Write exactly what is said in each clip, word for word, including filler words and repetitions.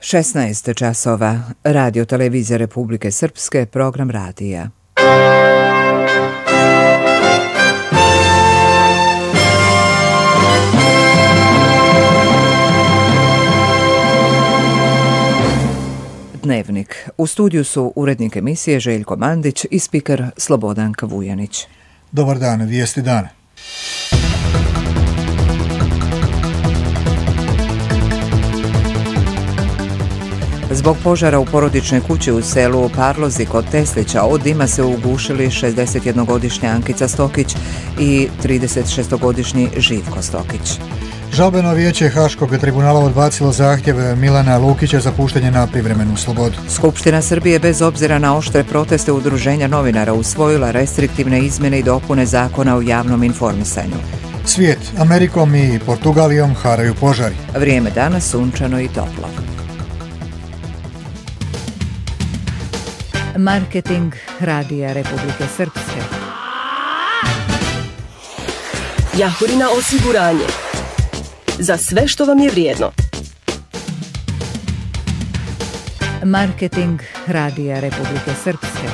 šesnaest časova. Radio Televizija Republike Srpske, program radija. Dnevnik. U studiju su urednik emisije Željko Mandić i spiker Slobodanka Vujanić. Dobar dan, vijesti dana. Zbog požara u porodičnoj kući u selu Parlozi kod Teslića od dima se ugušili šezdesetjednogodišnja Ankica Stokić i tridesetšestogodišnji Živko Stokić. Žalbeno vijeće Haškog tribunala odbacilo zahtjev Milana Lukića za puštanje na privremenu slobodu. Skupština Srbije bez obzira na oštre proteste udruženja novinara usvojila restriktivne izmjene i dopune zakona o javnom informisanju. Svijet, Amerikom i Portugalijom haraju požari. Vrijeme danas sunčano i toplo. Marketing Radija Republike Srpske. Jahorina osiguranje. Za sve što vam je vrijedno. Marketing Radija Republike Srpske.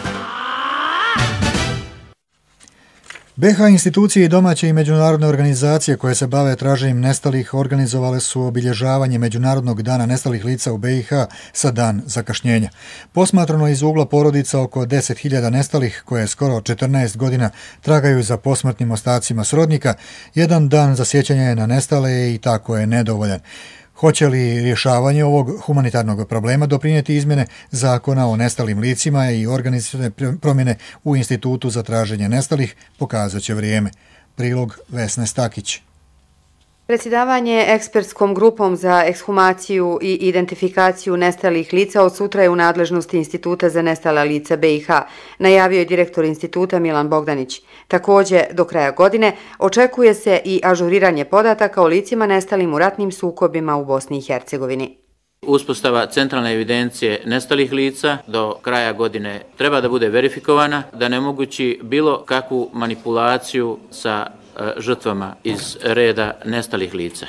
be ha institucije i domaće i međunarodne organizacije koje se bave traženjem nestalih organizovale su obilježavanje Međunarodnog dana nestalih lica u be i ha sa dan zakašnjenja. Posmatrano iz ugla porodica oko deset hiljada nestalih koje skoro četrnaest godina tragaju za posmrtnim ostacima srodnika, jedan dan za sjećanje na nestale i tako je nedovoljan. Hoće li rješavanje ovog humanitarnog problema doprinijeti izmjene zakona o nestalim licima i organizacione promjene u Institutu za traženje nestalih, pokazat će vrijeme. Prilog Vesne Stakić. Predsjedavanje ekspertskom grupom za ekshumaciju i identifikaciju nestalih lica od sutra je u nadležnosti Instituta za nestala lica be i ha, najavio je direktor instituta Milan Bogdanić. Također, do kraja godine očekuje se i ažuriranje podataka o licima nestalim u ratnim sukobima u Bosni i Hercegovini. Uspostava centralne evidencije nestalih lica do kraja godine treba da bude verifikovana, da ne mogući bilo kakvu manipulaciju sa žrtvama iz reda nestalih lica.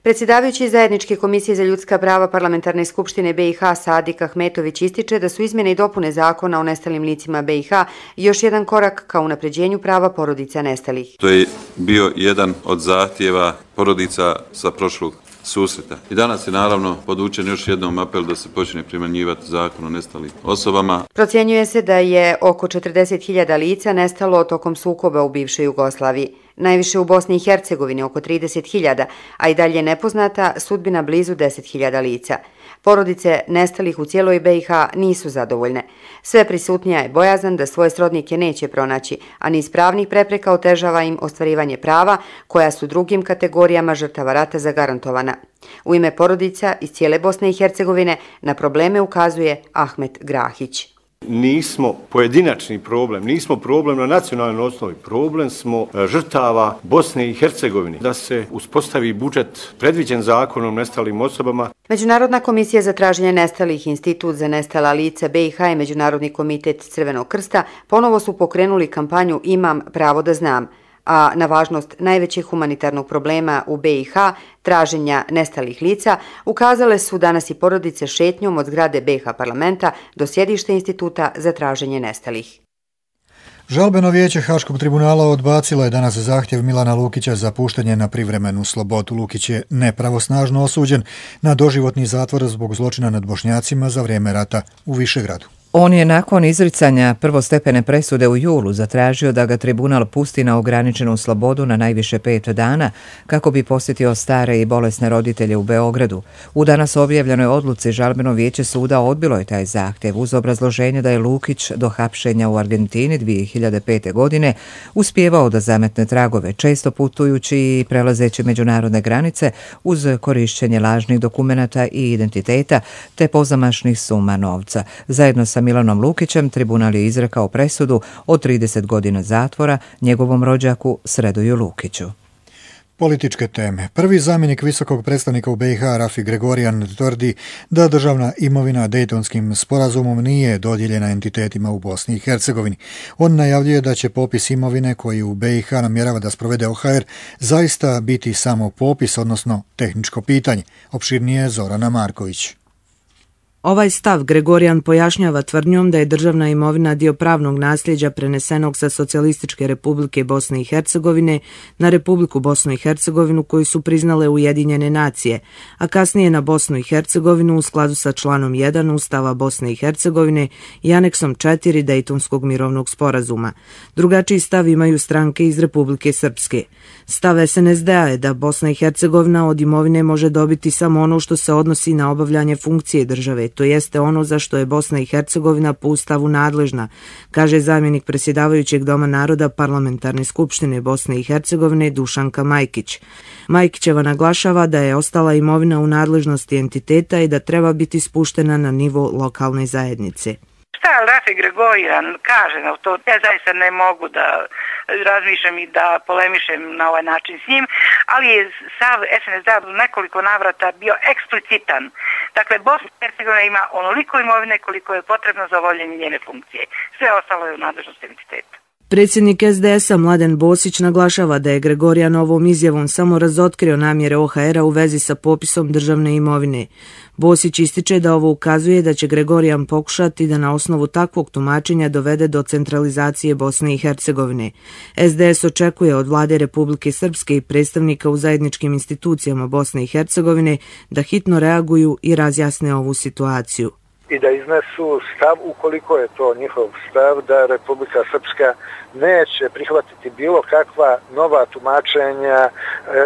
Predsjedavajući zajedničke komisije za ljudska prava Parlamentarne skupštine be i ha Sadik Ahmetović ističe da su izmjene i dopune zakona o nestalim licima be i ha još jedan korak ka unapređenju prava porodica nestalih. To je bio jedan od zahtjeva porodica sa prošlog susreta. I danas je naravno podučen još jednom apel da se počne primjenjivati zakon o nestalim osobama. Procjenjuje se da je oko četrdeset hiljada lica nestalo tokom sukoba u bivšoj Jugoslaviji. Najviše u Bosni i Hercegovini oko trideset hiljada, a i dalje nepoznata sudbina blizu deset hiljada lica. Porodice nestalih u cijeloj be i ha nisu zadovoljne. Sve prisutnija je bojazan da svoje srodnike neće pronaći, a niz pravnih prepreka otežava im ostvarivanje prava koja su drugim kategorijama žrtava rata zagarantovana. U ime porodica iz cijele Bosne i Hercegovine na probleme ukazuje Ahmet Grahić. Nismo pojedinačni problem, nismo problem na nacionalnoj osnovi, problem smo žrtava Bosne i Hercegovine. Da se uspostavi budžet predviđen zakonom nestalim osobama. Međunarodna komisija za traženje nestalih, Institut za nestala lica be i ha i Međunarodni komitet Crvenog krsta ponovo su pokrenuli kampanju Imam pravo da znam, a na važnost najvećeg humanitarnog problema u be i ha, traženja nestalih lica, ukazale su danas i porodice šetnjom od zgrade be i ha parlamenta do sjedišta Instituta za traženje nestalih. Žalbeno vijeće Haškog tribunala odbacilo je danas zahtjev Milana Lukića za puštanje na privremenu slobodu. Lukić je nepravosnažno osuđen na doživotni zatvor zbog zločina nad Bošnjacima za vrijeme rata u Višegradu. On je nakon izricanja prvostepene presude u julu zatražio da ga tribunal pusti na ograničenu slobodu na najviše pet dana kako bi posjetio stare i bolesne roditelje u Beogradu. U danas objavljenoj odluci žalbeno vijeće suda odbilo je taj zahtjev uz obrazloženje da je Lukić do hapšenja u Argentini dvije hiljade pete. godine uspijevao da zametne tragove, često putujući i prelazeći međunarodne granice uz korišćenje lažnih dokumenata i identiteta te pozamašnih suma novca. Zajedno sa Milanom Lukićem tribunal je izrekao presudu od trideset godina zatvora njegovom rođaku Sredoju Lukiću. Političke teme. Prvi zamjenik visokog predstavnika u be i ha Rafi Gregorijan tvrdi da državna imovina Dejtonskim sporazumom nije dodijeljena entitetima u Bosni i Hercegovini. On najavljuje da će popis imovine koji u be i ha namjerava da sprovede o ha er zaista biti samo popis, odnosno tehničko pitanje. Opširnije Zorana Marković. Ovaj stav Gregorijan pojašnjava tvrdnjom da je državna imovina dio pravnog nasljeđa prenesenog sa Socijalističke republike Bosne i Hercegovine na Republiku Bosnu i Hercegovinu koju su priznale Ujedinjene nacije, a kasnije na Bosnu i Hercegovinu u skladu sa članom jedan Ustava Bosne i Hercegovine i aneksom četiri Dejtonskog mirovnog sporazuma. Drugačiji stav imaju stranke iz Republike Srpske. Stav es en es de a je da Bosna i Hercegovina od imovine može dobiti samo ono što se odnosi na obavljanje funkcije države, to jeste ono za što je Bosna i Hercegovina po Ustavu nadležna, kaže zamjenik predsjedavajućeg Doma naroda Parlamentarne skupštine Bosne i Hercegovine Dušanka Majkić. Majkićeva naglašava da je ostala imovina u nadležnosti entiteta i da treba biti spuštena na nivo lokalne zajednice. Šta Rafi Gregorijan kaže na to, ja zaista ne mogu da razmišljam i da polemišem na ovaj način s njim, ali je sav es en es de a u nekoliko navrata bio eksplicitan. Dakle, Bosna i Hercegovina ima onoliko imovine koliko je potrebno za obavljanje njene funkcije. Sve ostalo je u nadležnosti entiteta. Predsjednik es de es a Mladen Bosić naglašava da je Gregorijan ovom izjavom samo razotkrio namjere o ha era u vezi sa popisom državne imovine. Bosić ističe da ovo ukazuje da će Gregorijan pokušati da na osnovu takvog tumačenja dovede do centralizacije Bosne i Hercegovine. es de es očekuje od vlade Republike Srpske i predstavnika u zajedničkim institucijama Bosne i Hercegovine da hitno reaguju i razjasne ovu situaciju. I da iznesu stav, ukoliko je to njihov stav, da Republika Srpska neće prihvatiti bilo kakva nova tumačenja e,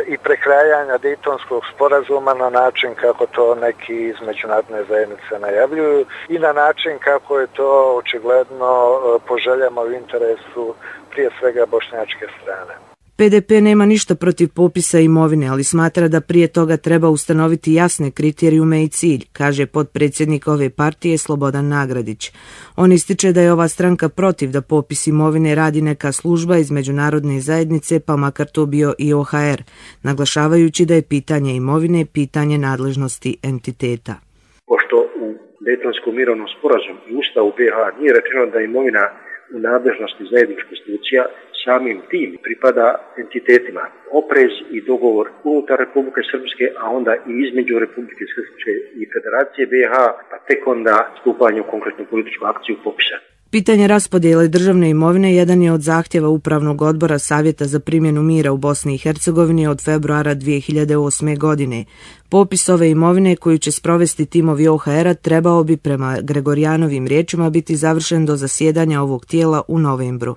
i prekrajanja Dejtonskog sporazuma na način kako to neki iz međunarodne zajednice najavljuju i na način kako je to očigledno e, po željama u interesu prije svega bošnjačke strane. pe de pe nema ništa protiv popisa imovine, ali smatra da prije toga treba ustanoviti jasne kriterijume i cilj, kaže potpredsjednik ove partije Slobodan Nagradić. On ističe da je ova stranka protiv da popis imovine radi neka služba iz međunarodne zajednice, pa makar to bio i o ha er, naglašavajući da je pitanje imovine pitanje nadležnosti entiteta. Pošto u Dejtonskom mirovnom sporazumu i Ustavu be ha nije rečeno da je imovina u nadležnosti zajedničkih institucija, samim tim pripada entitetima. Oprez i dogovor unutar Republike Srpske, a onda i između Republike Srpske i Federacije be ha, pa tek onda stupanje u konkretnu političku akciju popisa. Pitanje raspodjele državne imovine jedan je od zahtjeva Upravnog odbora Savjeta za primjenu mira u Bosni i Hercegovini od februara dvije hiljade osme. godine. Popis ove imovine koju će sprovesti timovi o ha era trebao bi prema Gregorijanovim riječima biti završen do zasjedanja ovog tijela u novembru.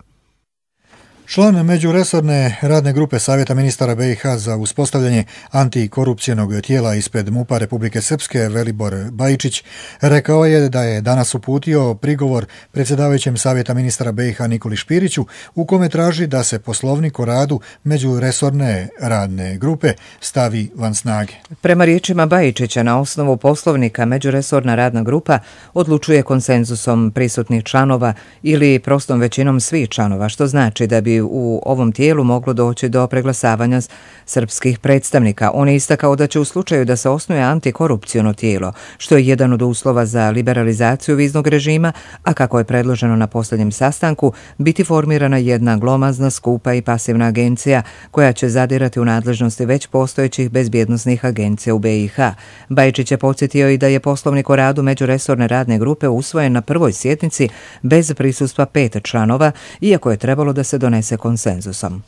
Član međuresorne radne grupe Savjeta ministara be i ha za uspostavljanje antikorupcijnog tijela ispred MUP-a Republike Srpske Velibor Bajičić rekao je da je danas uputio prigovor predsjedavajućem Savjeta ministara be i ha Nikoli Špiriću u kome traži da se poslovnik o radu međuresorne radne grupe stavi van snage. Prema riječima Bajičića, na osnovu poslovnika međuresorna radna grupa odlučuje konsenzusom prisutnih članova ili prostom većinom svih članova, što znači da bi u ovom tijelu moglo doći do preglasavanja srpskih predstavnika. On je istakao da će u slučaju da se osnuje antikorupciono tijelo, što je jedan od uslova za liberalizaciju viznog režima, a kako je predloženo na posljednjem sastanku, biti formirana jedna glomazna, skupa i pasivna agencija koja će zadirati u nadležnosti već postojećih bezbjednosnih agencija u be i ha. Bajičić je podsjetio i da je poslovnik o radu međuresorne radne grupe usvojen na prvoj sjednici bez prisustva pet članova, iako je trebalo da se donese konsenzusom.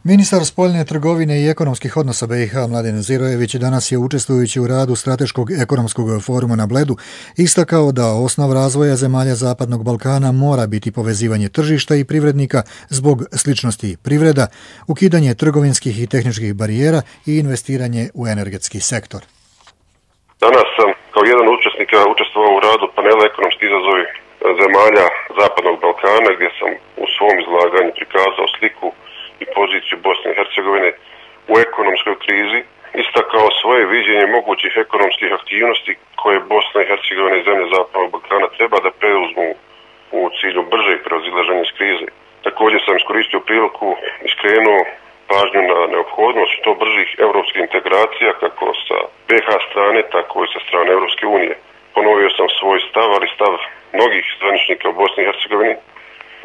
Ministar spoljne trgovine i ekonomskih odnosa be i ha Mladen Zirojević danas je učestvujući u radu Strateškog ekonomskog foruma na Bledu istakao da osnov razvoja zemalja Zapadnog Balkana mora biti povezivanje tržišta i privrednika zbog sličnosti privreda, ukidanje trgovinskih i tehničkih barijera i investiranje u energetski sektor. Danas sam kao jedan od učesnika učestvovao u radu panela ekonomski izazovi zemalja Zapadnog Balkana, gdje sam u svom izlaganju prikazao sliku i poziciju Bosne i Hercegovine u ekonomskoj krizi, istakao svoje viđenje mogućih ekonomskih aktivnosti koje Bosna i Hercegovina i zemlje Zapadnog Balkana treba da preuzmu u cilju bržeg prevazilaženja iz krize. Također sam iskoristio priliku i skrenuo pažnju na neophodnost što bržih europskih integracija kako sa be ha strane, tako i sa strane Europske unije. Ponovio sam svoj stav, ali stav mnogih zvaničnika u Bosni i Hercegovini,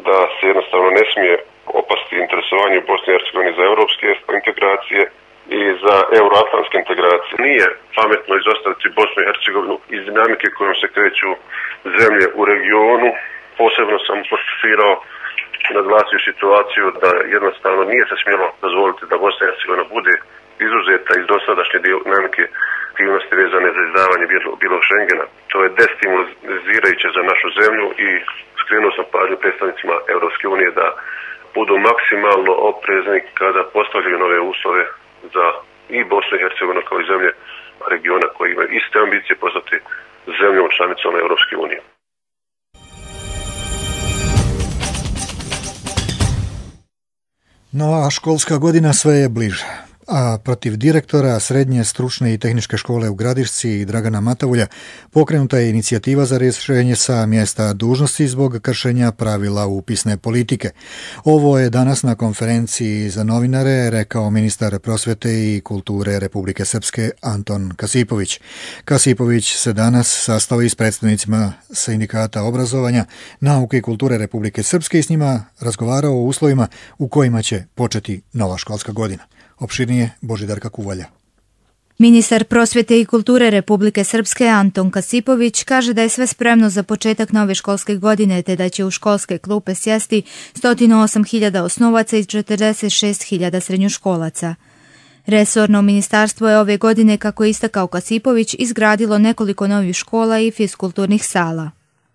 da se jednostavno ne smije opasti interesovanje u Bosni i Hercegovini za europske integracije, i za euroatlantske integracije. Nije pametno izostaviti Bosnu i Hercegovinu iz dinamike kojom se kreću zemlje u regionu. Posebno sam apostrofirao i naglasio situaciju da jednostavno nije se smjelo dozvoliti da Bosna i Hercegovina bude izuzeta iz dosadašnje dinamike aktivnosti vezane za izdavanje bilog Schengena. To je destimulizirajuće za našu zemlju i skrenuo sam pažnju predstavnicima Europske unije da budu maksimalno oprezni kada postavljaju nove uslove za i Bosnu i Hercegovinu kao i zemlje regiona koji imaju iste ambicije postati zemljom članicom Europske unije. Nova školska godina sve je bliže, a protiv direktora Srednje stručne i tehničke škole u Gradišci Dragana Matavulja pokrenuta je inicijativa za rješenje sa mjesta dužnosti zbog kršenja pravila upisne politike. Ovo je danas na konferenciji za novinare rekao ministar prosvjete i kulture Republike Srpske Anton Kasipović. Kasipović se danas sastao i s predstavnicima sindikata obrazovanja, nauke i kulture Republike Srpske i s njima razgovarao o uslovima u kojima će početi nova školska godina. Opširnije Božidarka Kuvalja. Ministar prosvjete i kulture Republike Srpske Anton Kasipović kaže da je sve spremno za početak nove školske godine te da će u školske klupe sjesti sto osam hiljada osnovaca i četrdeset šest hiljada srednjoškolaca. Resorno ministarstvo je ove godine, kako je istakao Kasipović, izgradilo nekoliko novih škola i fiskulturnih sala.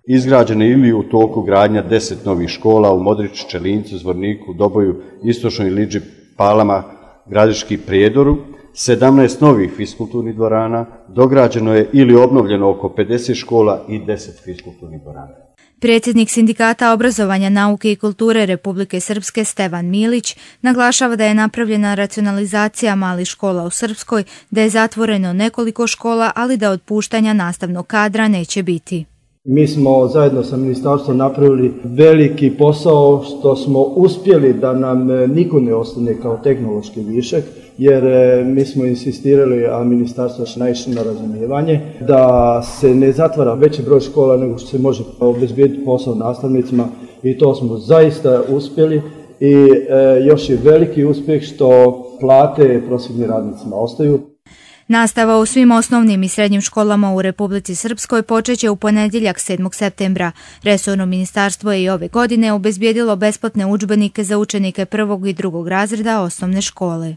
Izgrađene ili u toku gradnja deset novih škola u Modriču, Čelincu, Zvorniku, Doboju, Istočnoj Liđi, Palama, Gradiški, Prijedoru, sedamnaest novih fiskulturnih dvorana, dograđeno je ili obnovljeno oko pedeset škola i deset fiskulturnih dvorana. Predsjednik Sindikata obrazovanja, nauke i kulture Republike Srpske Stevan Milić naglašava da je napravljena racionalizacija malih škola u Srpskoj, da je zatvoreno nekoliko škola, ali da otpuštanja nastavnog kadra neće biti. Mi smo zajedno sa ministarstvom napravili veliki posao što smo uspjeli da nam niko ne ostane kao tehnološki višak, jer mi smo insistirali, a ministarstvo je naišlo na razumijevanje, da se ne zatvara veći broj škola nego što se može obezbijediti posao nastavnicima i to smo zaista uspjeli i e, još je veliki uspjeh što plate prosvjetnim radnicima ostaju. Nastava u svim osnovnim i srednjim školama u Republici Srpskoj počeće u ponedjeljak sedmog septembra. Resorno ministarstvo je i ove godine obezbijedilo besplatne udžbenike za učenike prvog i drugog razreda osnovne škole.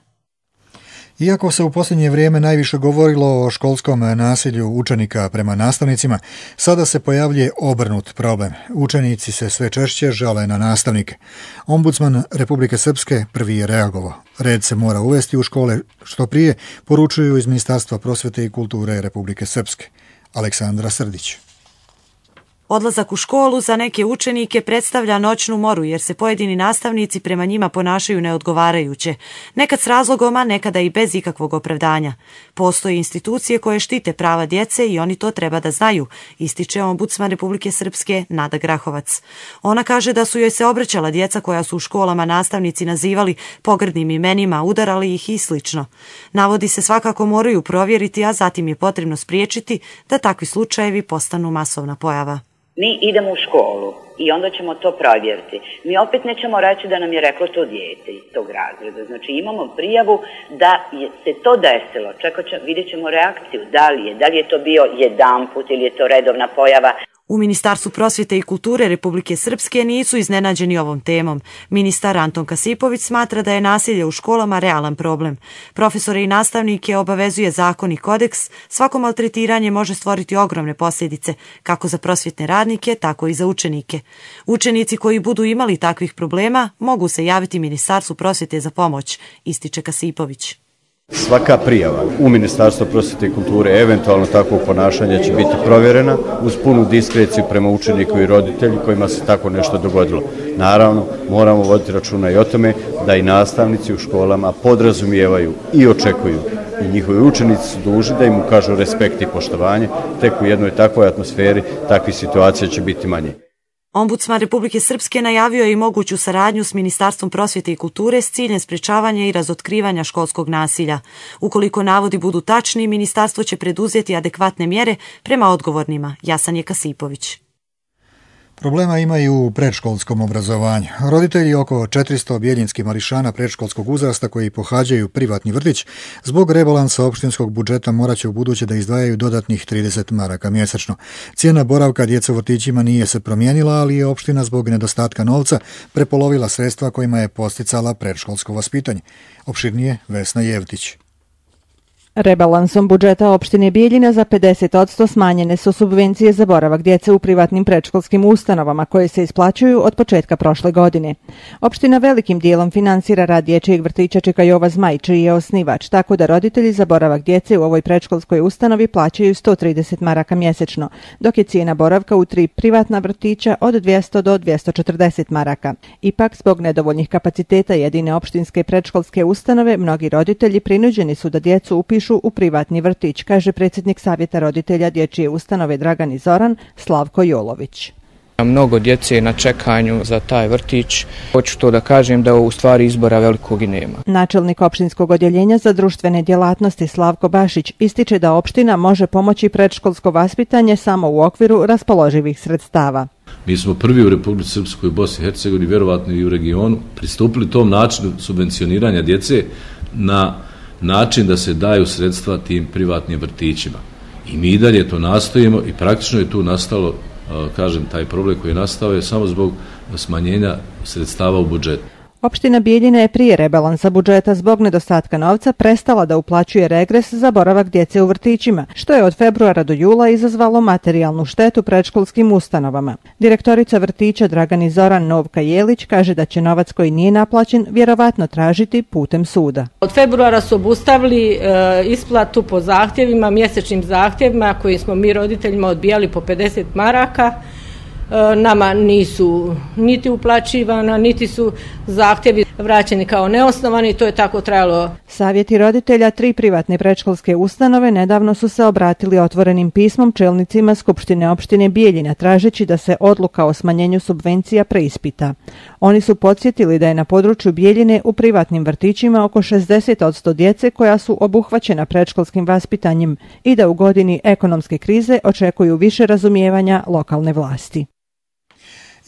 Iako se u posljednje vrijeme najviše govorilo o školskom nasilju učenika prema nastavnicima, sada se pojavljuje obrnut problem. Učenici se sve češće žale na nastavnike. Ombudsman Republike Srpske prvi je reagovao. Red se mora uvesti u škole što prije, poručuju iz Ministarstva prosvjete i kulture Republike Srpske. Aleksandra Srdić. Odlazak u školu za neke učenike predstavlja noćnu moru jer se pojedini nastavnici prema njima ponašaju neodgovarajuće, nekad s razlogom, a nekada i bez ikakvog opravdanja. Postoje institucije koje štite prava djece i oni to treba da znaju, ističe ombudsman Republike Srpske Nada Grahovac. Ona kaže da su joj se obraćala djeca koja su u školama nastavnici nazivali pogrdnim imenima, udarali ih i slično. Navodi se svakako moraju provjeriti, a zatim je potrebno spriječiti da takvi slučajevi postanu masovna pojava. Mi idemo u školu i onda ćemo to provjeriti. Mi opet nećemo reći da nam je reklo to dijete iz tog razreda. Znači imamo prijavu da je se to desilo. Čekat ćemo, vidjet ćemo reakciju. Da li je, da li je to bio jedanput ili je to redovna pojava. U Ministarstvu prosvjete i kulture Republike Srpske nisu iznenađeni ovom temom. Ministar Anton Kasipović smatra da je nasilje u školama realan problem. Profesore i nastavnike obavezuje zakon i kodeks, svako maltretiranje može stvoriti ogromne posljedice, kako za prosvjetne radnike, tako i za učenike. Učenici koji budu imali takvih problema mogu se javiti Ministarstvu prosvjete za pomoć, ističe Kasipović. Svaka prijava u Ministarstvo prosvjete i kulture eventualno takvog ponašanja će biti provjerena uz punu diskreciju prema učeniku i roditelji kojima se tako nešto dogodilo. Naravno, moramo voditi računa i o tome da i nastavnici u školama podrazumijevaju i očekuju i njihovi učenici su dužni da im ukažu respekt i poštovanje, tek u jednoj takvoj atmosferi takvih situacija će biti manje. Ombudsman Republike Srpske najavio je i moguću saradnju s Ministarstvom prosvjete i kulture s ciljem sprečavanja i razotkrivanja školskog nasilja. Ukoliko navodi budu tačni, ministarstvo će preduzeti adekvatne mjere prema odgovornima. Jasan je Kasipović. Problema imaju u predškolskom obrazovanju. Roditelji oko četiristo bijeljinskih mališana predškolskog uzrasta koji pohađaju privatni vrtić zbog rebalansa opštinskog budžeta morat će u buduće da izdvajaju dodatnih trideset maraka mjesečno. Cijena boravka djece u vrtićima nije se promijenila, ali je opština zbog nedostatka novca prepolovila sredstva kojima je posticala predškolsko vaspitanje. Opširnije Vesna Jevtić. Rebalansom budžeta opštine Bijeljina za pedeset posto smanjene su subvencije za boravak djece u privatnim predškolskim ustanovama koje se isplaćuju od početka prošle godine. Opština velikim dijelom finansira rad dječjeg vrtića Čika Jova Zmaj, čiji je osnivač, tako da roditelji za boravak djece u ovoj predškolskoj ustanovi plaćaju sto trideset maraka mjesečno, dok je cijena boravka u tri privatna vrtića od dvjesto do dvjesto četrdeset maraka. Ipak, zbog nedovoljnih kapaciteta jedine opštinske predškolske ustanove, mnogi roditelji prinuđeni su da djecu upišu u privatni vrtić, kaže predsjednik Savjeta roditelja dječje ustanove Dragan i Zoran, Slavko Jolović. Mnogo djece na čekanju za taj vrtić. Hoću to da kažem da u stvari izbora velikog i nema. Načelnik opštinskog odjeljenja za društvene djelatnosti Slavko Bašić ističe da opština može pomoći predškolsko vaspitanje samo u okviru raspoloživih sredstava. Mi smo prvi u Republici Srpskoj, Bosni i Hercegovini, vjerovatno i u regionu, pristupili tom načinu subvencioniranja djece na način da se daju sredstva tim privatnim vrtićima. I mi i dalje to nastojimo i praktično je tu nastalo, kažem, taj problem koji je nastao je samo zbog smanjenja sredstava u budžetu. Opština Bijeljina je prije rebalansa budžeta zbog nedostatka novca prestala da uplaćuje regres za boravak djece u vrtićima, što je od februara do jula izazvalo materijalnu štetu predškolskim ustanovama. Direktorica vrtića Dragan Zoran Novka Jelić kaže da će novac koji nije naplaćen vjerovatno tražiti putem suda. Od februara su obustavili e, isplatu po zahtjevima, mjesečnim zahtjevima koji smo mi roditeljima odbijali po pedeset maraka. Nama nisu niti uplaćivana, niti su zahtjevi vraćeni kao neosnovani, to je tako trajalo. Savjeti roditelja tri privatne predškolske ustanove nedavno su se obratili otvorenim pismom čelnicima Skupštine opštine Bijeljina tražeći da se odluka o smanjenju subvencija preispita. Oni su podsjetili da je na području Bijeljine u privatnim vrtićima oko šezdeset posto djece koja su obuhvaćena predškolskim vaspitanjem i da u godini ekonomske krize očekuju više razumijevanja lokalne vlasti.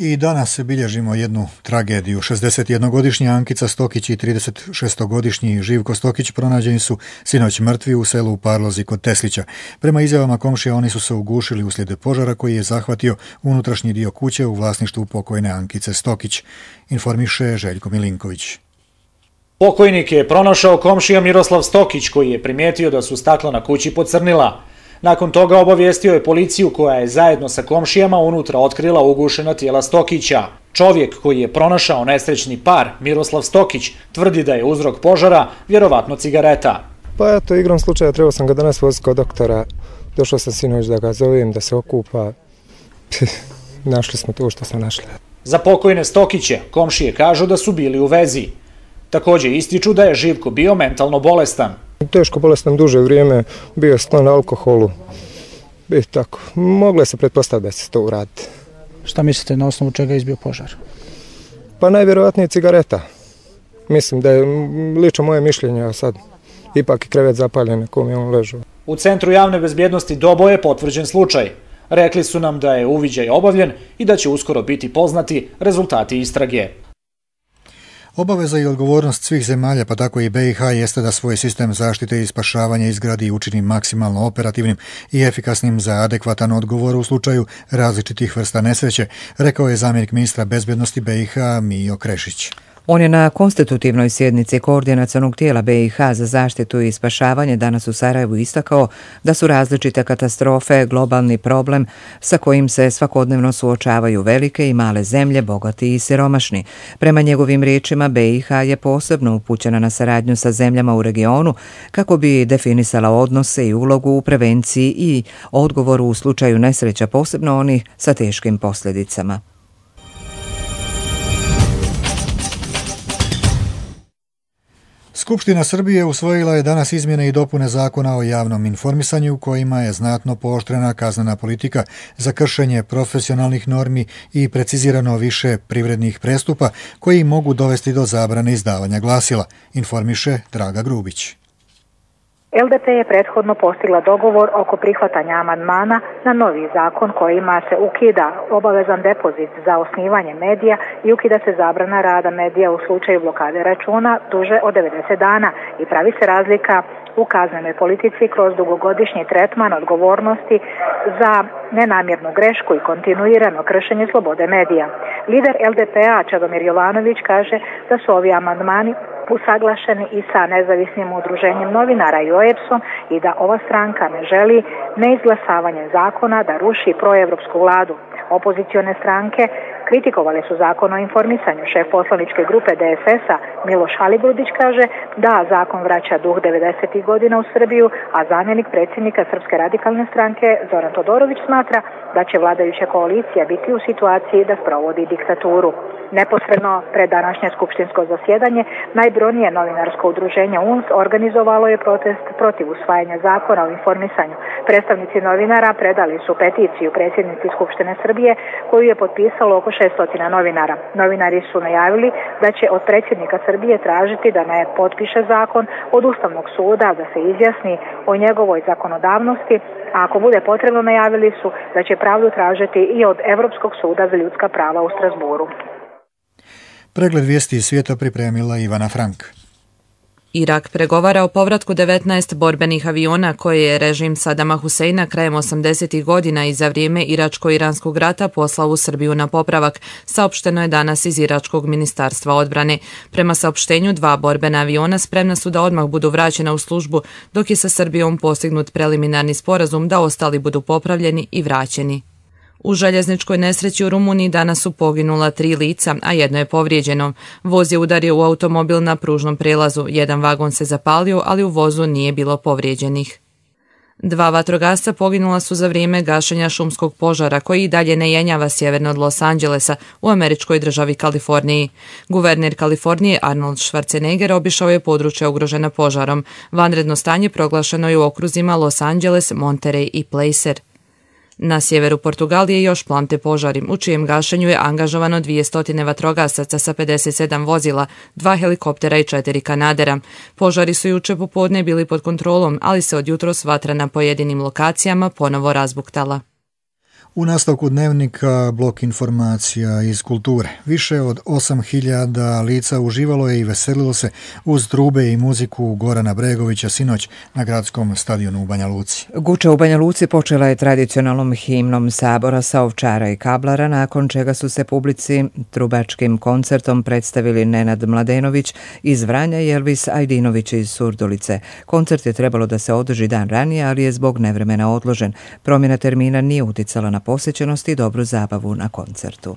I danas bilježimo jednu tragediju. šezdesetjednogodišnja Ankica Stokić i tridesetšestogodišnji Živko Stokić pronađeni su sinoć mrtvi u selu u Parlozi kod Teslića. Prema izjavama komšija oni su se ugušili uslijed požara koji je zahvatio unutrašnji dio kuće u vlasništvu pokojne Ankice Stokić, informiše Željko Milinković. Pokojnik je pronašao komšija Miroslav Stokić koji je primijetio da su stakla na kući pocrnila. Nakon toga obavijestio je policiju koja je zajedno sa komšijama unutra otkrila ugušena tijela Stokića. Čovjek koji je pronašao nesrećni par, Miroslav Stokić, tvrdi da je uzrok požara vjerovatno cigareta. Pa eto, igrom slučaja trebao sam ga danas voziti kod doktora. Došao sam sinoć da ga zovem, da se okupa. Našli smo to što smo našli. Za pokojne Stokiće komšije kažu da su bili u vezi. Također ističu da je Živko bio mentalno bolestan. Teško bolestan duže vrijeme, bio je sklon alkoholu. I tako, moglo se pretpostaviti da se to uraditi. Šta mislite, na osnovu čega je izbio požar? Pa najvjerojatnije cigareta. Mislim da je lično moje mišljenje, a sad ipak je krevet zapaljen na kom je on ležao. U Centru javne bezbjednosti Doboj je potvrđen slučaj. Rekli su nam da je uviđaj obavljen i da će uskoro biti poznati rezultati istrage. Obaveza i odgovornost svih zemalja, pa tako i B i H, jeste da svoj sistem zaštite i spašavanja izgradi i učini maksimalno operativnim i efikasnim za adekvatan odgovor u slučaju različitih vrsta nesreće, rekao je zamjenik ministra bezbjednosti B i H Mijo Krešić. On je na konstitutivnoj sjednici koordinacionog tijela B i H za zaštitu i spašavanje danas u Sarajevu istakao da su različite katastrofe globalni problem sa kojim se svakodnevno suočavaju velike i male zemlje, bogati i siromašni. Prema njegovim riječima, B i H je posebno upućena na saradnju sa zemljama u regionu kako bi definisala odnose i ulogu u prevenciji i odgovoru u slučaju nesreća, posebno onih sa teškim posljedicama. Skupština Srbije usvojila je danas izmjene i dopune Zakona o javnom informisanju kojima je znatno pooštrena kaznena politika za kršenje profesionalnih normi i precizirano više privrednih prestupa koji mogu dovesti do zabrane izdavanja glasila, informiše Draga Grubić. L D P je prethodno postigla dogovor oko prihvatanja amandmana na novi zakon kojima se ukida obavezan depozit za osnivanje medija i ukida se zabrana rada medija u slučaju blokade računa duže od devedeset dana i pravi se razlika u kaznenoj politici kroz dugogodišnji tretman odgovornosti za nenamjernu grešku i kontinuirano kršenje slobode medija. Lider L D P-a Čedomir Jovanović kaže da su ovi amandmani usaglašeni i sa nezavisnim udruženjem novinara i O E P S-om i da ova stranka ne želi neizglasavanje zakona da ruši proevropsku vladu. Opozicione stranke kritikovali su zakon o informisanju. Šef poslaničke grupe D S S-a Miloš Aligrudić kaže da zakon vraća duh devedesetih godina u Srbiju, a zamjenik predsjednika Srpske radikalne stranke Zoran Todorović smatra da će vladajuća koalicija biti u situaciji da sprovodi diktaturu. Neposredno pred današnje skupštinsko zasjedanje najbrojnije novinarsko udruženje U N S organizovalo je protest protiv usvajanja zakona o informisanju. Predstavnici novinara predali su peticiju predsjednici Skupštine Srbije koju je potpisalo oko šesto novinara. Novinari su najavili da će od predsjednika Srbije tražiti da ne potpiše zakon, od Ustavnog suda da se izjasni o njegovoj zakonodavnosti, a ako bude potrebno najavili su da će pravdu tražiti i od Europskog suda za ljudska prava u Strasburu. Pregled vijesti iz svijeta pripremila Ivana Frank. Irak pregovara o povratku devetnaest borbenih aviona koje je režim Sadama Huseina krajem osamdesetih godina i za vrijeme Iračko-Iranskog rata poslao u Srbiju na popravak, saopšteno je danas iz Iračkog ministarstva odbrane. Prema saopštenju, dva borbena aviona spremna su da odmah budu vraćena u službu, dok je sa Srbijom postignut preliminarni sporazum da ostali budu popravljeni i vraćeni. U željezničkoj nesreći u Rumuniji danas su poginula tri lica, a jedno je povrijeđeno. Voz je udario u automobil na pružnom prelazu, jedan vagon se zapalio, ali u vozu nije bilo povrijeđenih. Dva vatrogasca poginula su za vrijeme gašenja šumskog požara koji i dalje ne jenjava sjeverno od Los Angelesa u američkoj državi Kaliforniji. Guverner Kalifornije Arnold Schwarzenegger obišao je područje ugrožena požarom. Vanredno stanje proglašeno je u okruzima Los Angeles, Monterey i Placer. Na sjeveru Portugalije još plamte požari, u čijem gašenju je angažovano dvjesto vatrogasaca sa pedeset sedam vozila, dva helikoptera i četiri kanadera. Požari su juče popodne bili pod kontrolom, ali se od jutros vatra na pojedinim lokacijama ponovo razbuktala. U nastavku dnevnika blok informacija iz kulture. Više od osam hiljada lica uživalo je i veselilo se uz trube i muziku Gorana Bregovića sinoć na gradskom stadionu u Banja Luci. Guča u Banja Luci počela je tradicionalnom himnom Sabora sa Ovčara i Kablara, nakon čega su se publici trubačkim koncertom predstavili Nenad Mladenović iz Vranja i Elvis Ajdinović iz Surdulice. Koncert je trebalo da se održi dan ranije, ali je zbog nevremena odložen. Promjena termina nije uticala na posjećenost i dobru zabavu na koncertu.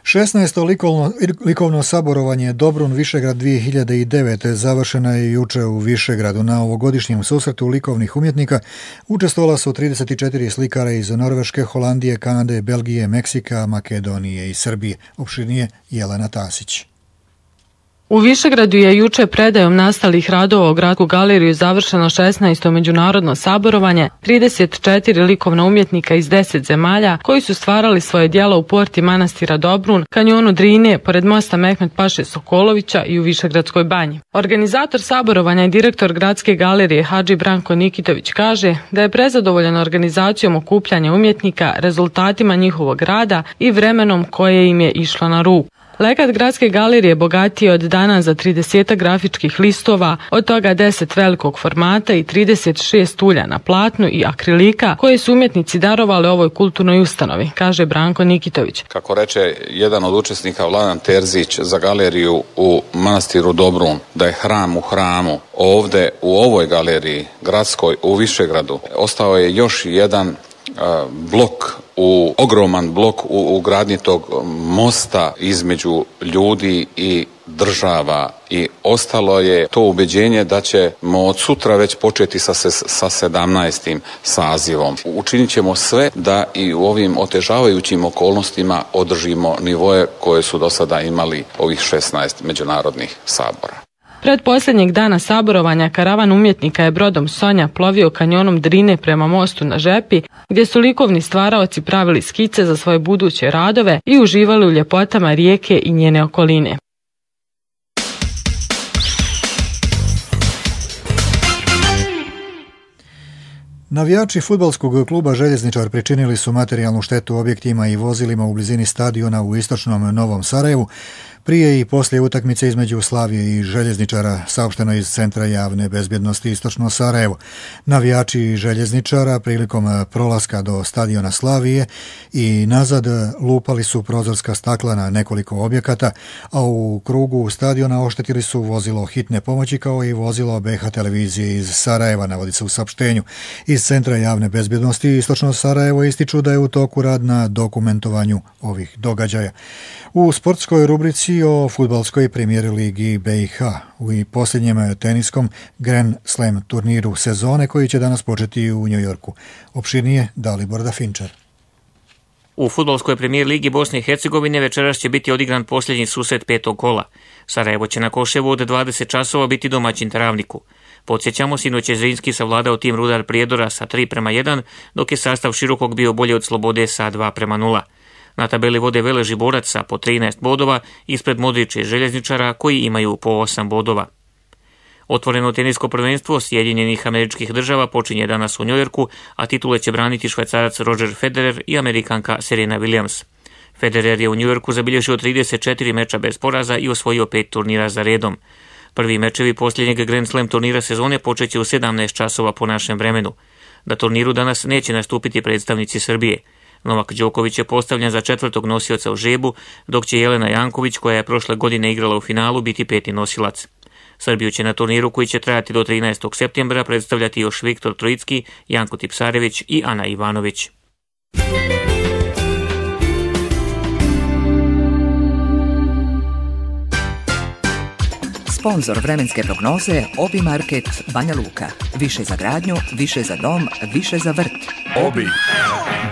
šesnaesto likovno, likovno saborovanje Dobrun Višegrad dvije hiljade devete završeno je juče u Višegradu. Na ovogodišnjem susretu likovnih umjetnika učestvovala su trideset četiri slikara iz Norveške, Holandije, Kanade, Belgije, Meksika, Makedonije i Srbije. Opširnije Jelena Tasić. U Višegradu je juče predajom nastalih radova u Gradsku galeriju završeno šesnaesto međunarodno saborovanje, trideset četiri likovna umjetnika iz deset zemalja koji su stvarali svoje djela u porti manastira Dobrun, kanjonu Drine, pored mosta Mehmet Paše Sokolovića i u Višegradskoj banji. Organizator saborovanja i direktor Gradske galerije Hadži Branko Nikitović kaže da je prezadovoljan organizacijom okupljanja umjetnika, rezultatima njihovog rada i vremenom koje im je išlo na ruku. Legat Gradske galerije bogatiji od dana za trideset grafičkih listova, od toga deset velikog formata i trideset šest ulja na platnu i akrilika koje su umjetnici darovali ovoj kulturnoj ustanovi, kaže Branko Nikitović. Kako reče jedan od učesnika Vladan Terzić za galeriju u manastiru Dobrun, da je hram u hramu, ovdje u ovoj galeriji gradskoj u Višegradu ostao je još jedan uh, blok u ogroman blok u, u gradnji tog mosta između ljudi i država i ostalo je to ubeđenje da ćemo od sutra već početi sa, sa sedamnaestim sazivom. Učinit ćemo sve da i u ovim otežavajućim okolnostima održimo nivoje koje su do sada imali ovih šesnaest međunarodnih sabora. Pred posljednjeg dana saborovanja karavan umjetnika je brodom Sonja plovio kanjonom Drine prema mostu na Žepi, gdje su likovni stvaraoci pravili skice za svoje buduće radove i uživali u ljepotama rijeke i njene okoline. Navijači fudbalskog kluba Željezničar pričinili su materijalnu štetu objektima i vozilima u blizini stadiona u istočnom Novom Sarajevu. Prije i poslije utakmice između Slavije i Željezničara, saopšteno iz Centra javne bezbjednosti Istočno Sarajevo. Navijači Željezničara prilikom prolaska do stadiona Slavije i nazad lupali su prozorska stakla na nekoliko objekata, a u krugu stadiona oštetili su vozilo hitne pomoći kao i vozilo B H televizije iz Sarajeva, navodi se u saopštenju. Iz Centra javne bezbjednosti Istočno Sarajevo ističu da je u toku rad na dokumentovanju ovih događaja. U sportskoj rubrici o fudbalskoj premijer ligi B i H u posljednjem teniskom Grand Slam turniru sezone koji će danas početi u New Yorku. Opširnije Dalibor Dafinčar. U fudbalskoj premijer ligi Bosne i Hercegovine večeras će biti odigran posljednji susret petog kola. Sarajevo će na Koševu od dvadeset časova biti domaćin Travniku. Podsjećamo, sinoć je Zrinski savladao tim Rudar Prijedora sa tri prema jedan, dok je sastav Širokog bio bolje od Slobode sa dva prema nula. Na tabeli vode Velež Borac sa po trinaest bodova, ispred Modrića i Željezničara koji imaju po osam bodova. Otvoreno tenisko prvenstvo Sjedinjenih Američkih Država počinje danas u Njujorku, a titule će braniti Švajcarac Roger Federer i Amerikanka Serena Williams. Federer je u Njujorku zabilježio trideset četiri meča bez poraza i osvojio pet turnira za redom. Prvi mečevi posljednjeg Grand Slam turnira sezone počeće u sedamnaest časova po našem vremenu. Na turniru danas neće nastupiti predstavnici Srbije. Novak Đoković je postavljen za četvrtog nosioca u žrebu, dok će Jelena Janković, koja je prošle godine igrala u finalu, biti peti nosilac. Srbiju će na turniru koji će trajati do trinaestog septembra predstavljati još Viktor Trojicki, Janko Tipsarević i Ana Ivanović. Sponzor vremenske prognoze Obi Market Banja Luka. Više za gradnju, više za dom, više za vrt. Obi.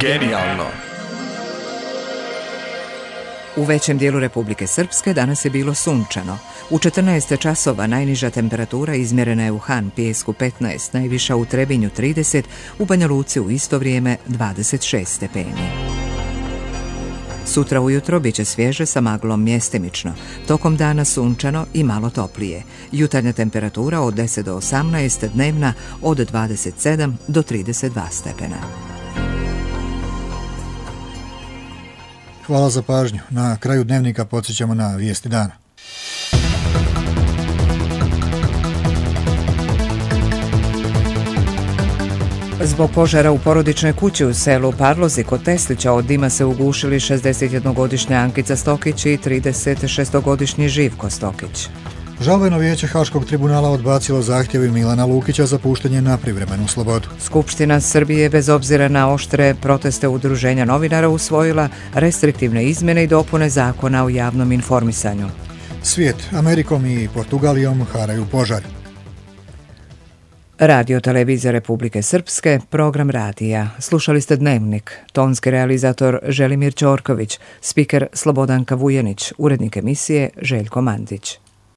Genijalno. U većem dijelu Republike Srpske danas je bilo sunčano. U četrnaest časova najniža temperatura izmjerena je u Han Pijesku petnaest, najviša u Trebinju trideset, u Banja Luci u isto vrijeme dvadeset šest stepeni. Sutra ujutro bit će svježe sa maglom mjestimično, tokom dana sunčano i malo toplije. Jutarnja temperatura od deset do osamnaest, dnevna od dvadeset sedam do trideset dva stepena. Hvala za pažnju. Na kraju dnevnika podsjećamo na vijesti dana. Zbog požara u porodičnoj kući u selu Parlozi kod Teslića od dima se ugušili šezdesetjednogodišnja Ankica Stokić i trideset šestogodišnji Živko Stokić. Žalbeno vijeće Haškog tribunala odbacilo zahtjevi Milana Lukića za puštanje na privremenu slobodu. Skupština Srbije, bez obzira na oštre proteste udruženja novinara, usvojila restriktivne izmjene i dopune zakona o javnom informisanju. Svijet, Amerikom i Portugalijom haraju požari. Radio televizija Republike Srpske, program radija. Slušali ste Dnevnik, tonski realizator Želimir Ćorković, spiker Slobodanka Vujenić, urednik emisije Željko Mandić.